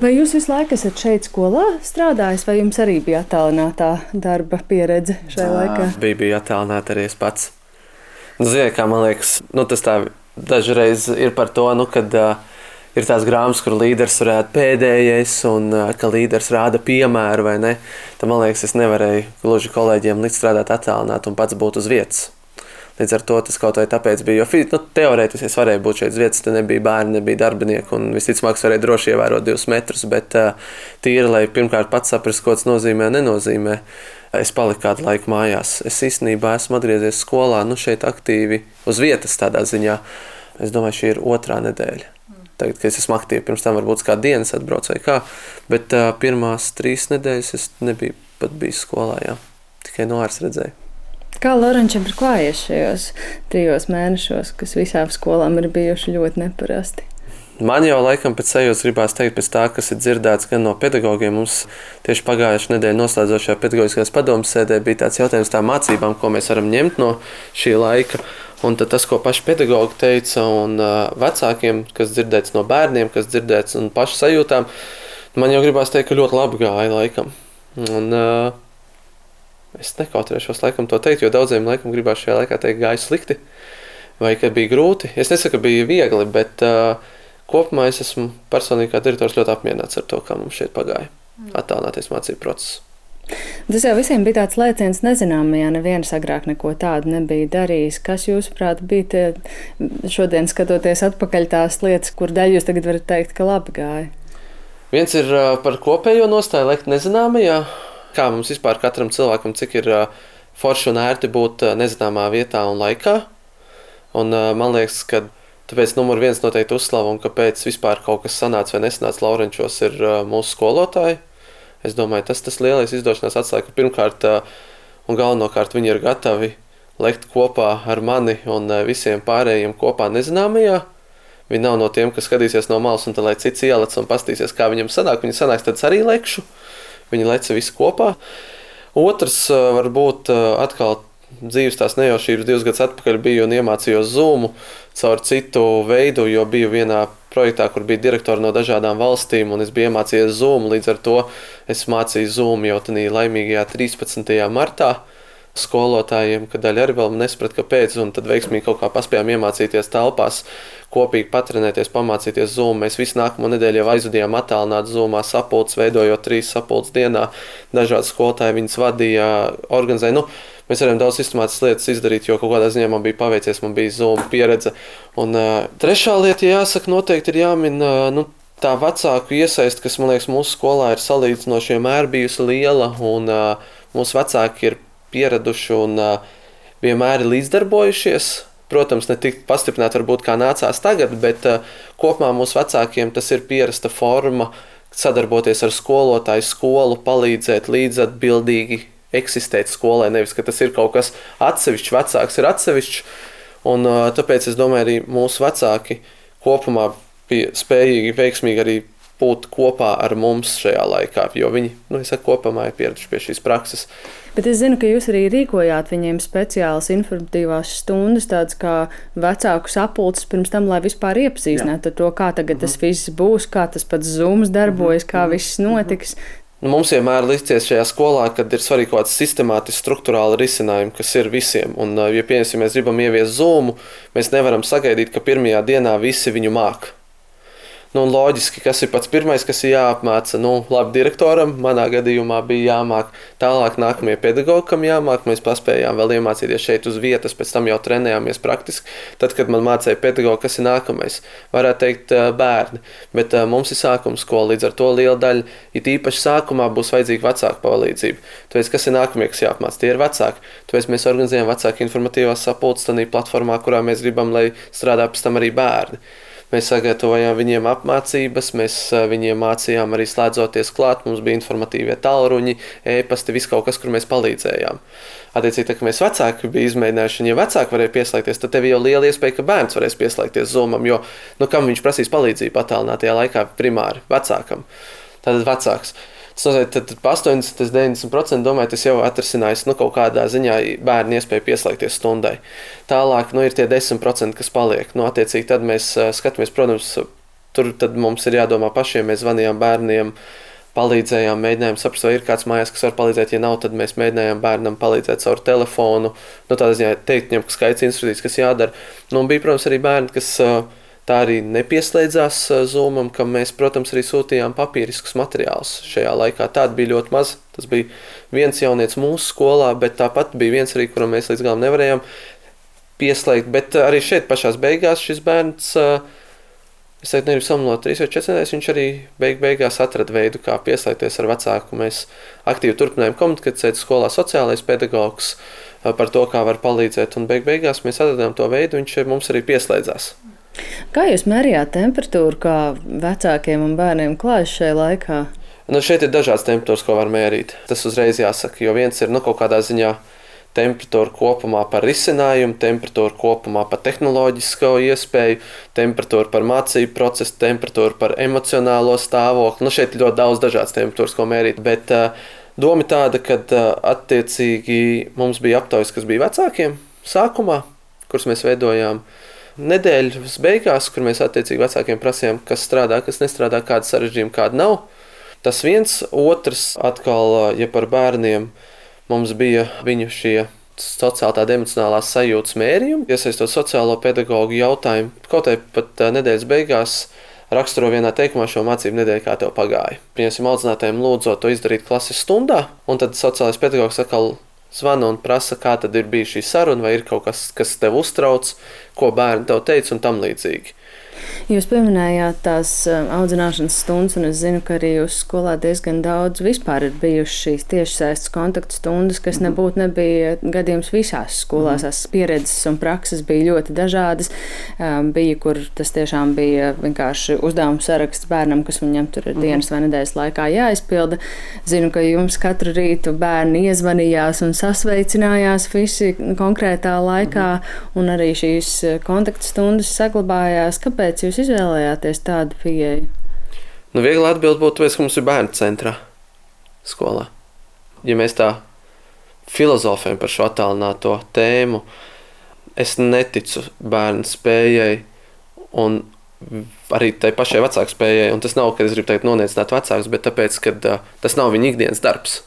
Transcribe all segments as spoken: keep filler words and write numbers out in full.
Vai jūs visu laiku esat šeit skolā strādājis, vai jums arī bija attālinātā darba pieredze šajā laikā? Bija, bija attālināta arī es pats. Nu, ziniet, kā man liekas, nu, tas tā dažreiz ir par to, nu, kad uh, ir tās grāmatas, kur līderis varētu pēdējais un uh, ka līderis rāda piemēru, vai ne? Tad, man liekas, es nevarēju gluži kolēģiem likt strādāt attālināt un pats būt uz vietas. Līdz ar to tas kaut vai tāpēc bija, jo nu, teorētiski es varēju būt šeit uz vietas, te nebija bērni, nebija darbinieki un visticamāk es varēju droši ievērot divus metrus, bet uh, tīri, lai pirmkārt pats saprast, ko tas nozīmē, nenozīmē. Es paliku kādu laiku mājās. Es īstenībā esmu atgriezies skolā, nu šeit aktīvi uz vietas tādā ziņā. Es domāju, šī ir otrā nedēļa. Tagad, kad es esmu aktīvi, pirms tam varbūt kā dienas atbraucu vai kā, bet uh, pirmās trīs nedēļas es nebiju pat bijis skolā, jā. Tikai no āras redzēju. Kā Laurenčam ir klājies šajos trijos mēnešos, kas visām skolām ir bijuši ļoti neparasti? Man jau laikam pēc sajūtas gribās teikt, pēc tā, kas ir dzirdēts gan no pedagogiem. Mums tieši pagājušajā nedēļā noslēdzošajā pedagoģiskās padomes sēdē bija tāds jautājums tā mācībām, ko mēs varam ņemt no šī laika. Un tad tas, ko paši pedagogi teica un uh, vecākiem, kas dzirdēts no bērniem, kas dzirdēts un pašu sajūtām, man jau gribās teikt, ka ļoti labi gāja laikam. Un, uh, Es nekautrēšos laikam to teikt, jo daudziem laikam gribās šajā laikā teikt, gāja slikti vai ka bija grūti. Es nesaku, ka bija viegli, bet uh, kopumā es esmu personīgi kā direktors ļoti apmierināts ar to, kā mums šeit pagāja attālināties mācību procesu. Tas jau visiem bija tāds lēciens nezināmajā, neviens agrāk neko tādu nebija darījis. Kas jūsuprāt bija tie šodien skatoties atpakaļ tās lietas, kur daļu jūs tagad varat teikt, ka labi gāja? Viens ir uh, par kopējo nostāju lekt nezināmajā. Kā mums vispār katram cilvēkam, cik ir uh, forši un ērti būt uh, nezināmā vietā un laikā. Un uh, man liekas, ka tāpēc numur viens noteikti uzslavu un kāpēc vispār kaut kas sanāca vai nesanāca Laurenčos ir uh, mūsu skolotāji. Es domāju, tas tas lielais izdošanās atslēga, ka pirmkārt uh, un galvenokārt viņi ir gatavi lekt kopā ar mani un uh, visiem pārējiem kopā nezināmajā. Viņi nav no tiem, kas skatīsies no malas un tad, lai cits ielec un pastīsies, kā viņam sanāk. Viņi sanāks, tad arī lekšu. Viņi leca visi kopā. Otrs, varbūt atkal dzīves tās nejaušības divus gadus atpakaļ biju un iemācījos Zoomu caur citu veidu, jo biju vienā projektā, kur bija direktori no dažādām valstīm un es biju iemācījies Zoomu. Līdz ar to es mācīju Zoomu jau tanī laimīgajā trīspadsmitajā martā skolotājiem, kad daļa arī vēl nesaprat, kāpēc, un tad veiksmīgi kaut kā paspējām iemācīties telpās, kopīgi patrenēties, pamācīties Zoom. Mēs visu nākamo nedēļu jau aizvadījām attālināt Zoomā sapulces, veidojot trīs sapulces dienā. Dažādi skolotāji viņas vadīja, organizēja. Nu, mēs varējām daudz sistemātiskas lietas izdarīt, jo kaut kādā ziņā man bija paveicies, man bija Zoom pieredze. Un uh, trešā lieta, jāsaka, noteikti ir jāmin, uh, nu, tā vecāku iesaist, kas, man liekas, mūsu skolā ir salīdzinoši vienmēr bijusi liela, un uh, mūsu vecāki ir pieraduši un uh, vienmēr ir līdzdarbojušies. Protams, ne tik pastiprināti varbūt kā nācās tagad, bet uh, kopumā mūsu vecākiem tas ir pierasta forma sadarboties ar skolotāju, skolu, palīdzēt līdzatbildīgi eksistēt skolai. Nevis, ka tas ir kaut kas atsevišķs, vecāks ir atsevišķs. Un uh, tāpēc es domāju, arī mūsu vecāki kopumā bija spējīgi, veiksmīgi arī būt kopā ar mums šajā laikā, jo viņi, nu, es saku, kopumā ir pieraduši pie šīs prakses. Bet es zinu, ka jūs arī rīkojāt viņiem speciālas informatīvās stundas, tādas kā vecāku sapulces pirms tam, lai vispār iepazīstinātu ar to, kā tagad tas viss būs, kā tas pats Zooms darbojas, kā viss notiks. Nu, mums vienmēr licies šajā skolā, kad ir svarīgi kaut kāds sistemātiski struktūrāli risinājumi, kas ir visiem. Un, ja piemēram, ja mēs gribam ieviest Zoomu, mēs nevaram sagaidīt, ka pirmajā dienā visi viņu māk. Nu, loģiski, kas ir pats pirmais, kas ir jāapmāca, nu, labi, direktoram, manā gadījumā bija jāmāk, tālāk nākamie pedagogam jāmāk, mēs paspējām vēl iemācīties šeit uz vietas, pēc tam jau trenējāmies praktiski, tad, kad man mācīja pedagogu, kas ir nākamais, varētu teikt bērni, bet uh, mums ir sākuma skola, līdz ar to liela daļa, it īpaši sākumā būs vajadzīga vecāku palīdzība, tāpēc, kas ir nākamie, kas jāapmāca, tie ir vecāki, tāpēc mēs organizējam vecāku informatīvās sapulces tādā platformā, kurā mēs gribam, lai strādā pēc tam arī bērni. Mēs sagatavojām viņiem apmācības, mēs viņiem mācījām arī slēdzoties klāt, mums bija informatīvie tālruņi, e-pasti, viss kaut kas, kur mēs palīdzējām. Attiecīgi, tā, ka mēs vecāki bija izmēģinājuši, un ja vecāki varēja pieslēgties, tad tev jau liela iespēja, ka bērns varēs pieslēgties Zoomam, jo, nu, kam viņš prasīs palīdzību attālinātajā laikā primāri vecākam. Tātad vecāks. Tas nozīmē, tad pa astoņdesmit līdz deviņdesmit procenti domāju, tas jau atrasinājis, nu, kaut kādā ziņā bērni iespēju pieslēgties stundai. Tālāk, nu, ir tie desmit procenti, kas paliek. Nu, attiecīgi, tad mēs skatāmies, protams, tur tad mums ir jādomā pašiem. Mēs zvanījām bērniem, palīdzējām, mēģinājām saprast, vai ir kāds mājās, kas var palīdzēt. Ja nav, tad mēs mēģinājām bērnam palīdzēt caur telefonu. Nu, tādā ziņā teikt viņam, ka skaits instrukcijas, kas jādara. Nu, un bija, protams, arī bērni, kas tā arī nepieslēdzās Zoomam, kam mēs, protams, arī sūtījām papīriskus materiālus šajā laikā. Tāda bija ļoti maz. Tas bija viens jaunietis mūsu skolā, bet tāpat bija viens arī, kuram mēs līdz galam nevarējām pieslēgt. Bet arī šeit pašās beigās šis bērns, es teiktu, negribu samalot trīs vai četras nedēļas, viņš arī beig beigās atrada veidu, kā pieslēgties ar vecāku. Mēs aktīvi turpinājām komunikēt skolā, sociālais pedagogs par to, kā var palīdzēt, un beig beigās mēs atradām to veidu, viņš mums arī pieslēdzās. Kā jūs mērījāt temperatūru, kā vecākiem un bērniem klājas šajā laikā? Nu, šeit ir dažādas temperatūras, ko var mērīt. Tas uzreiz jāsaka, jo viens ir nu, kaut kādā ziņā temperatūra kopumā par risinājumu, temperatūra kopumā par tehnoloģisko iespēju, temperatūra par mācību procesu, temperatūra par emocionālo stāvokli. Nu, šeit ir ļoti daudz dažādas temperatūras, ko mērīt, bet uh, doma tāda, ka uh, attiecīgi mums bija aptaujas, kas bija vecākiem sākumā, kuras mēs veidojām nedēļas beigās, kur mēs attiecīgi vecākiem prasījām, kas strādā, kas nestrādā, kāda sarežģījuma, kāda nav. Tas viens, otrs atkal, ja par bērniem, mums bija viņu šie sociāli tādi emocionālās sajūtas mērījumi, iesaistot sociālo pedagogu jautājumu. Kaut arī pat nedēļas beigās raksturo vienā teikumā šo mācību nedēļu, kā tev pagāja. Pieņemsim audzinātājiem lūdzot to izdarīt klases stundā, un tad sociālais pedagogs atkal zvana un prasa, kā tad ir bijusi šī saruna, vai ir kaut kas, kas tev uztrauc, ko bērni tev teica un tam līdzīgi. Jūs pieminējāt tās audzināšanas stundas, un es zinu, ka arī jūsu skolā diezgan daudz vispār ir bijušas šīs tiešsaistes kontaktu stundas, kas mm-hmm. nebūtu nebija gadījums visās skolās. Mm-hmm. Tās pieredzes un prakses bija ļoti dažādas. Bija, kur tas tiešām bija vienkārši uzdevums saraksts bērnam, kas viņam tur ir mm-hmm. dienas vai nedēļas laikā jāizpilda. Zinu, ka jums katru rītu bērni iezvanījās un sasveicinājās visi konkrētā laikā, mm-hmm. un arī šīs kontaktu stundas saglabājās. Kāpēc jūs izvēlējāties tādu pieeju? Nu, viegli atbild būtu, tāpēc, ka mums ir bērnu centrā skolā. Ja mēs tā filozofējam par šo attālināto tēmu, es neticu bērnu spējai un arī tai pašai vecāku spējai. Un tas nav, ka es gribu teikt noniecināt vecākus, bet tāpēc, ka uh, tas nav viņa ikdienas darbs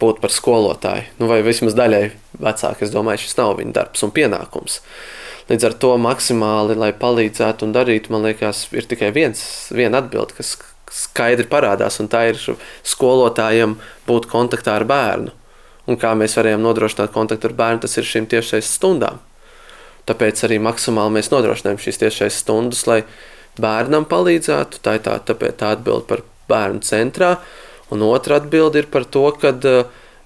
būt par skolotāju. Nu, vai vismaz daļai vecāki, es domāju, šis nav viņa darbs un pienākums. Līdz ar to maksimāli, lai palīdzētu un darītu, man liekas, ir tikai viens, viena atbilde, kas skaidri parādās, un tā ir skolotājiem būt kontaktā ar bērnu. Un kā mēs varējām nodrošināt kontaktu ar bērnu, tas ir šīm tiešais stundām. Tāpēc arī maksimāli mēs nodrošinājām šīs tiešais stundas, lai bērnam palīdzētu. Tā ir tā, tāpēc tā atbilde par bērnu centrā. Un otra atbilde ir par to, kad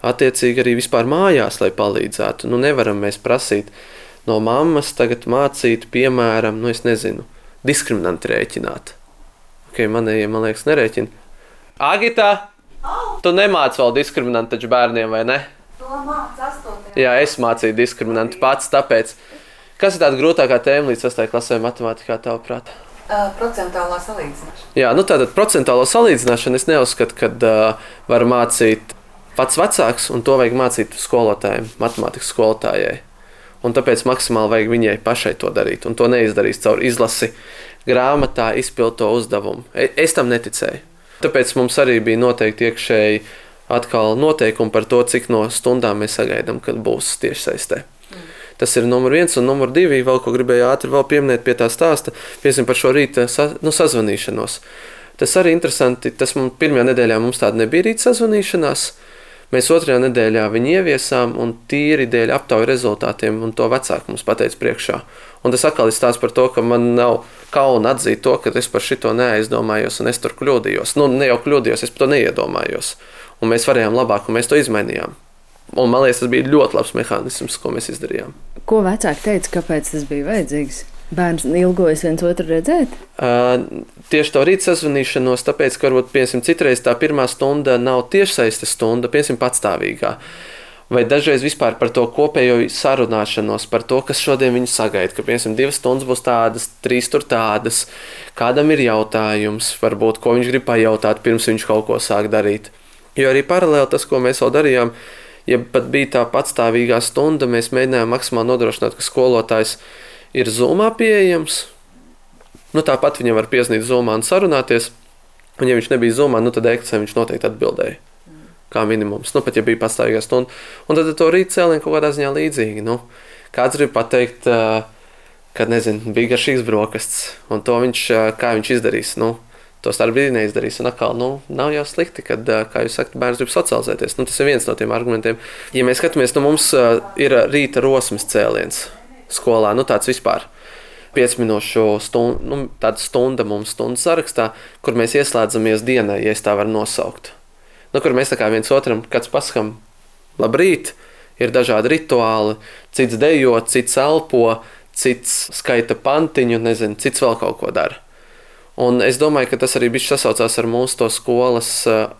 attiecīgi arī vispār mājās, lai palīdzētu. Nu, nevaram mēs prasīt no mammas tagad mācīt, piemēram, nu es nezinu, diskriminanti rēķināt. Ok, manējie, man liekas, nerēķina. Agita, tu nemāc vēl diskriminanti taču bērniem, vai ne? To māc astotajā. Jā, es mācīju diskriminanti pats, tāpēc. Kas ir tāda grūtākā tēma līdz sastajai klasē matemātikā, tavuprāt? Uh, procentuālā salīdzināšana. Jā, nu tātad procentuālo salīdzināšanu es neuzskatu, kad uh, var mācīt pats vecāks, un to vajag mācīt skolotājiem, matemātikas skolotājai. Un tāpēc maksimāli vajag viņai pašai to darīt. Un to neizdarīs caur izlasi grāmatā, izpild to uzdevumu. Es tam neticēju. Tāpēc mums arī bija noteikti iekšēji atkal noteikumi par to, cik no stundām mēs sagaidām, kad būs tiešsaistē. Mm. Tas ir numur viens un numur divi. Vēl ko gribēju ātri vēl pieminēt pie tā stāsta. Piemēram, par šo rīta sa, nu, sazvanīšanos. Tas arī interesanti. Tas mums pirmajā nedēļā mums tāda nebija rīta sazvanīšanās. Mēs otrajā nedēļā viņu ieviesām un tīri dēļ aptauju rezultātiem, un to vecāki mums pateica priekšā. Un tas atkal ir stāsts par to, ka man nav kauna atzīt to, ka es par šito neaizdomājos un es tur kļūdījos. Nu, ne jau kļūdījos, es par to neiedomājos. Un mēs varējām labāk, un mēs to izmainījām. Un man liekas, tas bija ļoti labs mehānisms, ko mēs izdarījām. Ko vecāki teica, kāpēc tas bija vajadzīgs? Bērns ilgojas viens otru redzēt? Uh, tieši to rīt sazvanīšanos, tāpēc, ka varbūt, piemēram, citreiz tā pirmā stunda nav tiešsaistes stunda, piemēram, patstāvīgā. Vai dažreiz vispār par to kopējo sarunāšanos, par to, kas šodien viņu sagaida, ka, piemēram, divas stundas būs tādas, trīs tur tādas, kādam ir jautājums, varbūt, ko viņš grib pajautāt, pirms viņš kaut ko sāk darīt. Jo arī paralēli tas, ko mēs vēl darījām, ja pat bija tā patstāvīgā stunda, mēs mēģinājām maksimāli nodrošināt, ka skolotājs ir Zoomā pieejams, Nu, tāpat viņam var piezvanīt Zoomā un sarunāties. Un, ja viņš nebija Zoomā, nu, tad e-klasē viņš noteikti atbildēja. Kā minimums. Nu, pat ja bija pastāvīgā stunda. Un tad to rīt cēlienu kaut kādā ziņā līdzīgi. Nu, kāds grib pateikt, ka, nezinu, bija garšīgs brokastis. Un to viņš, kā viņš izdarīs. Nu, to starp brīdī neizdarīs. Un atkal, nu, nav jau slikti, kad, kā jūs sakat, bērns grib socializēties. Nu, tas ir viens no tiem argumentiem. Ja mēs skatāmies, nu, mums ir rīta rosmes cēliens skolā. Nu, tāds vispār. pieci minūšu stunda, nu, tāda stunda mums stundas sarakstā, kur mēs ieslēdzamies dienai, ja es tā varu nosaukt. Nu, kur mēs tā kā viens otram, kāds pasakam, labrīt, ir dažādi rituāli, cits dejo, cits elpo, cits skaita pantiņu, nezinu, cits vēl kaut ko dara. Un es domāju, ka tas arī bišķi sasaucās ar mūsu to skolas,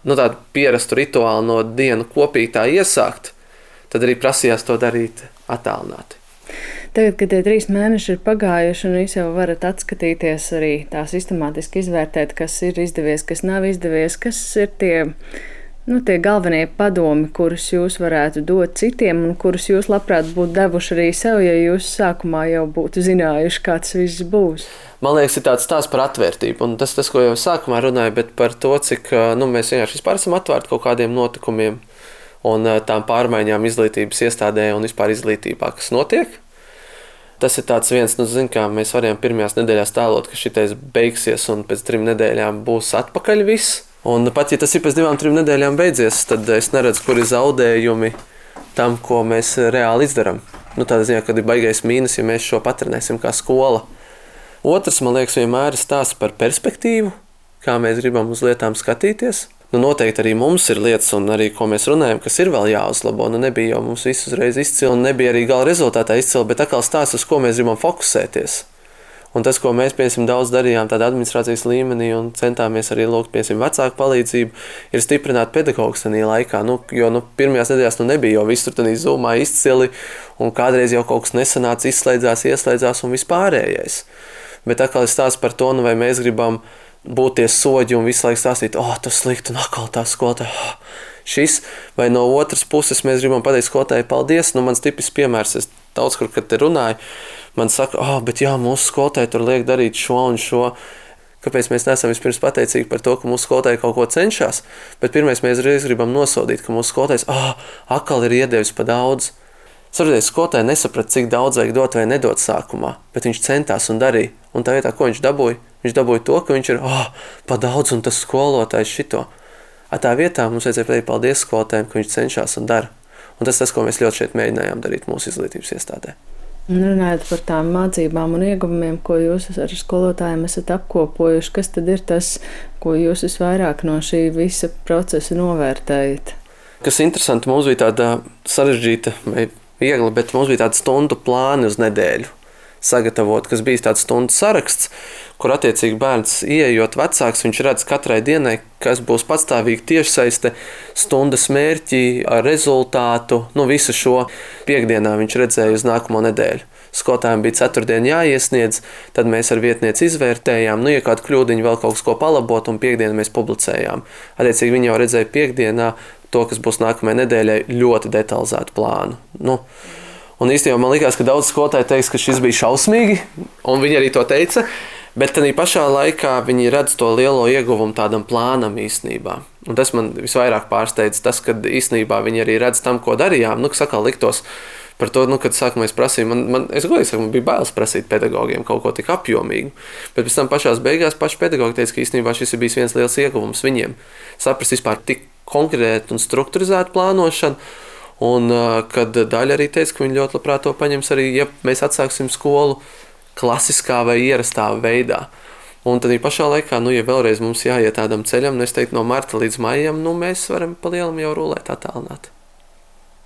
nu, tādu pierastu rituālu no dienu kopīgi tā iesākt, tad arī prasījās to darīt attālināti. Tagad, kad tie trīs mēneši ir pagājuši, un jūs jau varat atskatīties arī tā sistemātiski izvērtēt, kas ir izdevies, kas nav izdevies, kas ir tie, nu, tie galvenie padomi, kurus jūs varētu dot citiem, un kurus jūs labprāt būtu devuši arī sev, ja jūs sākumā jau būtu zinājuši, kā tas viss būs. Man liekas, ir tāds stāsts par atvērtību, un tas, tas ko jau sākumā runāju, bet par to, cik nu, mēs vienkārši vispār esam atvērti kaut kādiem notikumiem un tām pārmaiņām izglītības iestādē un vispār izglītībā, kas notiek. Tas ir tāds viens, nu, zin, kā mēs varējām pirmajās nedēļās tēlot, ka šitais beigsies un pēc trim nedēļām būs atpakaļ viss. Un pat, ja tas ir pēc divām, trim nedēļām beidzies, tad es neredzu, kur ir zaudējumi tam, ko mēs reāli izdaram. Nu, tādā ziņā, kad ir baigais mīnus, ja mēs šo patrenēsim kā skola. Otrs, man liekas, vienmēr ir stāsts par perspektīvu, kā mēs gribam uz lietām skatīties. Nu, noteikti arī mums ir lietas, un arī, ko mēs runājam, kas ir vēl jāuzlabo. Nu, nebija jau mums visu uzreiz izcili, un nebija arī gala rezultātā izcili, bet atkal stāsts, uz ko mēs gribam fokusēties. Un tas, ko mēs, piemēram, daudz darījām tādā administrācijas līmenī un centāmies arī lūgt, piemēram, vecāku palīdzību, ir stiprināt pedagogus tajā laikā. Nu, jo nu, pirmajās nedēļās nu, nebija jau viss tur tādā Zoomā izcili, un kādreiz jau kaut kas nesanāca, izslēdzās, ieslēdzās un vispārējais. Bet atkal ir stāsts par to, nu, vai mēs gribam būt tie soģi un visu laiku stāstīt, o, oh, tas slikti, un atkal tā skolotāja, oh, šis, vai no otras puses mēs gribam pateikt skolotāji paldies. Nu, mans tipisks piemērs, es daudz kur, kad te runāju, man saka, oh, bet jā, mūsu skolotāji tur liek darīt šo un šo. Kāpēc mēs neesam vispirms pateicīgi par to, ka mūsu skolotāji kaut ko cenšas, bet pirmais mēs reiz gribam nosodīt, ka mūsu skolotājs, oh, atkal ir iedevis pa daudz. Saprotiet, skolotāji nesaprata, cik daudz vajag dot vai nedot sākumā, bet viņš centās un darīja. Un tā vietā, ko viņš dabūja? Viņš dabūja to, ka viņš ir, oh, pa daudz un tas skolotājs šito. A tā vietā mums vajadzēja pateikt paldies skolotājiem, ka viņš cenšas un dara. Un tas tas, ko mēs ļoti šeit mēģinājām darīt mūsu izglītības iestādē. Un runājot par tām mācībām un ieguvumiem, ko jūs ar skolotājiem esat apkopojuši, kas tad ir tas, ko jūs visvairāk no šī visa procesa novērtējat? Kas interesanti, mums bija tāda sarežģīta vai viegli, bet mums bija tāda stundu plāni uz nedēļu sagatavot, kas bija tāds stundu saraksts, kur attiecīgi bērns ieejot vecāks, viņš redz katrai dienai, kas būs patstāvīgi tiešsaiste, stundas mērķi ar rezultātu, nu visu šo piekdienā viņš redzēja uz nākamo nedēļu. Skolotājiem bija ceturtdien jāiesniedz, tad mēs ar vietnieci izvērtējām, nu, ja kādu kļūdiņu vēl kaut ko palabot, un piekdienu mēs publicējām. Attiecīgi viņi jau redzēja piekdienā to, kas būs nākamajai nedēļai, ļoti detalizētu plānu. Nu, un īstenībā man likās, ka daudz skolotāji teiks, ka šis bija šausmīgi, un viņi arī to teica, bet tādā pašā laikā viņi redz to lielo ieguvumu tādam plānam īstenībā. Un tas man visvairāk pārsteidz, tas, kad īstenībā viņi arī redz tam, ko darījām, nu, kas atkal liktos par to, nu, kad sākumā es prasīju, man, man, es godīgi saku, man bija bailes prasīt pedagogiem kaut ko tik apjomīgu, bet pēc tam pašās beigās paši pedagogi teica, ka īstenībā šis ir bijis viens liels ieguvums viņiem, saprast vispār tik konkrētu un strukturizētu plānošanu, un kad daļa arī teica, ka viņi ļoti labprāt to paņems arī, ja mēs atsāksim skolu klasiskā vai ierastā veidā. Un tad pašā laikā, nu, ja vēlreiz mums jāiet tādam ceļam, nu, es teiktu, no marta līdz maijam, nu, mēs varam pa lielam jau rulēt attālināt.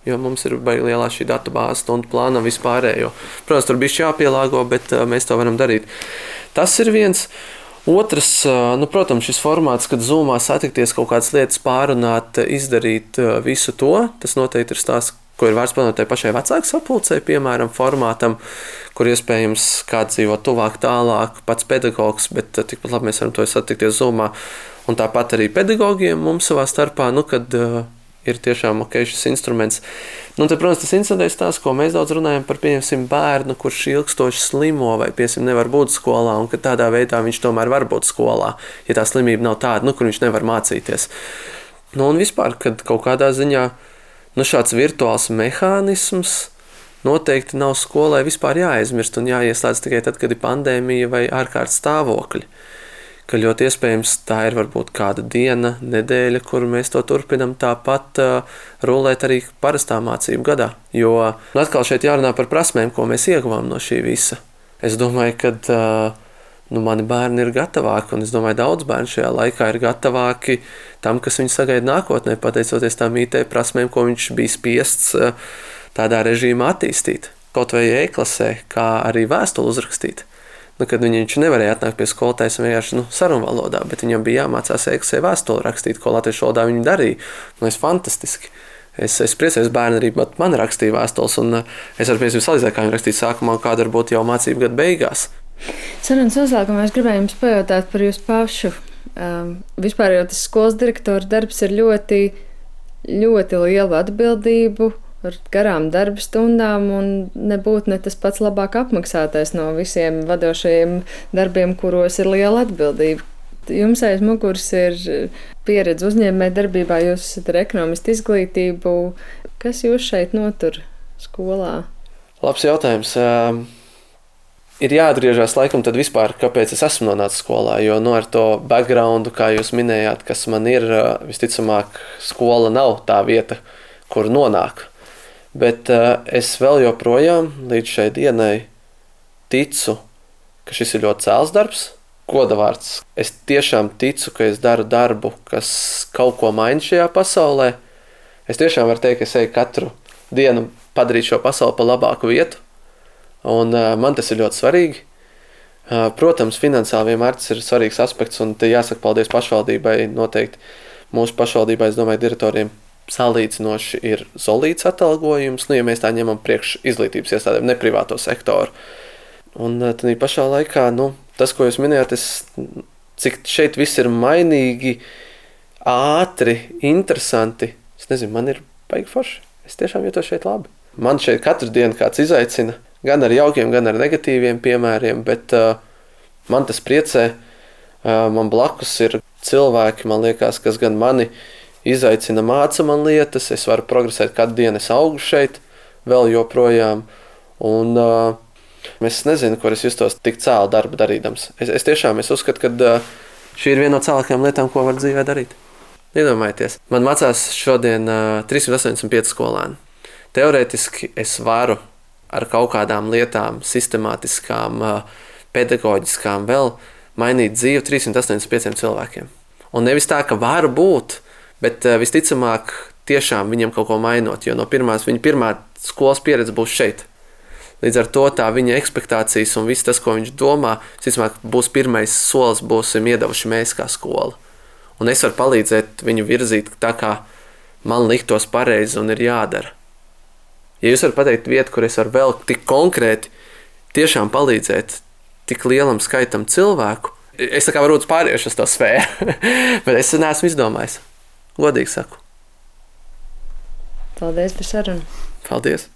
Jo mums ir baigi lielā šī datu bāze, stundu plānam vispārējo. Protams, tur bišķi jāpielāgo, bet uh, mēs to varam darīt. Tas ir viens. Otrs, uh, nu, protams, šis formāts, kad Zoomā satikties kaut kādas lietas pārunāt, izdarīt uh, visu to, tas noteikti ir stāsts, ko ir vērts panot tai pašai vecāku sapulcei, piemēram, formātam, kur iespējams kāds dzīvo tuvāk, tālāk, pats pedagogs, bet uh, tikpat labi mēs varam to satikties Zoomā. Un tāpat arī pedagogiem mums savā starpā, nu, kad uh, ir tiešām ok šis instruments. Nu, tad, protams, tas incidents tās, ko mēs daudz runājam par, pieņemsim, bērnu, kurš ilgstoši slimo vai, pieņemsim, nevar būt skolā, un ka tādā veidā viņš tomēr var būt skolā, ja tā slimība nav tāda, nu, kur viņš nevar mācīties. Nu, un vispār, kad kaut kādā ziņā, nu, šāds virtuāls mehānisms noteikti nav skolai vispār jāaizmirst un jāieslēdz tikai tad, kad ir pandēmija vai ārkārtas stāvokļi. Ka ļoti iespējams tā ir varbūt kāda diena, nedēļa, kur mēs to turpinam tāpat uh, rulēt arī parastā mācību gadā. Jo nu, atkal šeit jārunā par prasmēm, ko mēs ieguvām no šī visa. Es domāju, ka uh, nu, mani bērni ir gatavāki, un es domāju, daudz bērnu šajā laikā ir gatavāki tam, kas viņu sagaida nākotnē, pateicoties tām I T prasmēm, ko viņš bija spiests uh, tādā režīmā attīstīt. Kaut vai e-klasē, kā arī vēstuli uzrakstīt. Nu, kad viņš nevarēja atnākt pie skolotājas vienkārši nu, sarunvalodā, bet viņam bija jāmācās e-klasē vēstuli rakstīt, ko latviešu valodā viņi darīja. Nu, es fantastiski. Es, es priecājos bērni arī, bet man rakstīja vēstules, un es ar piemēram salīdzēju, kā viņi rakstīja sākumā, un kāda varbūt jau mācību gadu beigās. Sarunas noslēgumā es gribēju jums pajautāt par jūsu pašu. Um, vispār jau tas skolas direktora darbs ir ļoti, ļoti liela atbildību, ar garām darba stundām un nebūt ne tas pats labāk apmaksātais no visiem vadošajiem darbiem, kuros ir liela atbildība. Jums aiz muguras ir pieredze uzņēmē darbībā, jūs esat ar ekonomistu izglītību. Kas jūs šeit notur skolā? Labs jautājums. Uh, ir jāatgriežas laikam tad vispār, kāpēc es esmu nonācis skolā, jo no ar to backgroundu, kā jūs minējāt, kas man ir, uh, visticamāk, skola nav tā vieta, kur nonāk. Bet uh, es vēl joprojām līdz šai dienai ticu, ka šis ir ļoti cēls darbs, godavārds. Es tiešām ticu, ka es daru darbu, kas kaut ko maina šajā pasaulē. Es tiešām varu teikt, ka es eju katru dienu padarīt šo pasauli par labāku vietu, un uh, man tas ir ļoti svarīgi. Uh, protams, finansiāli vienmēr tas ir svarīgs aspekts, un te jāsaka paldies pašvaldībai noteikti. Mūsu pašvaldībai, es domāju, direktoriem salīdzinoši ir solīts atalgojums, nu, ja mēs tā ņemam priekš izglītības iestādēm, ne privāto sektoru. Un tad pašā laikā, nu, tas, ko jūs minējāt, es, cik šeit viss ir mainīgi, ātri, interesanti, es nezinu, man ir baigi forši. Es tiešām jūtos šeit labi. Man šeit katru dienu kāds izaicina, gan ar jaukiem, gan ar negatīviem piemēriem, bet uh, man tas priecē. Uh, man blakus ir cilvēki, man liekas, kas gan mani izaicina, māca man lietas, es varu progresēt katru dienu, es augu šeit, vēl joprojām, un uh, es nezinu, kur es justos tik cēlu darbu darīdams. Es, es tiešām es uzskatu, ka uh, šī ir viena no cēlākajām lietām, ko var dzīvē darīt. Iedomājieties, man mācās šodien uh, trīssimt astoņdesmit pieci skolēni. Teorētiski es varu ar kaut kādām lietām, sistemātiskām, uh, pedagoģiskām vēl mainīt dzīvi trīssimt astoņdesmit pieciem cilvēkiem. Un nevis tā, ka varu būt, bet uh, visticamāk tiešām viņam kaut ko mainot, jo no pirmās, viņa pirmā skolas pieredze būs šeit. Līdz ar to tā viņa ekspektācijas un viss tas, ko viņš domā, visticamāk būs pirmais solis, būsim iedavuši mēs kā skola. Un es varu palīdzēt viņu virzīt tā, kā man liktos pareizi un ir jādara. Ja jūs varat pateikt vietu, kur es varu vēl tik konkrēti tiešām palīdzēt tik lielam skaitam cilvēku, es tā kā varbūt pāriešu uz to sfēru, bet es neesmu izdomājis. Godīgi saku. Paldies par sarunu. Paldies.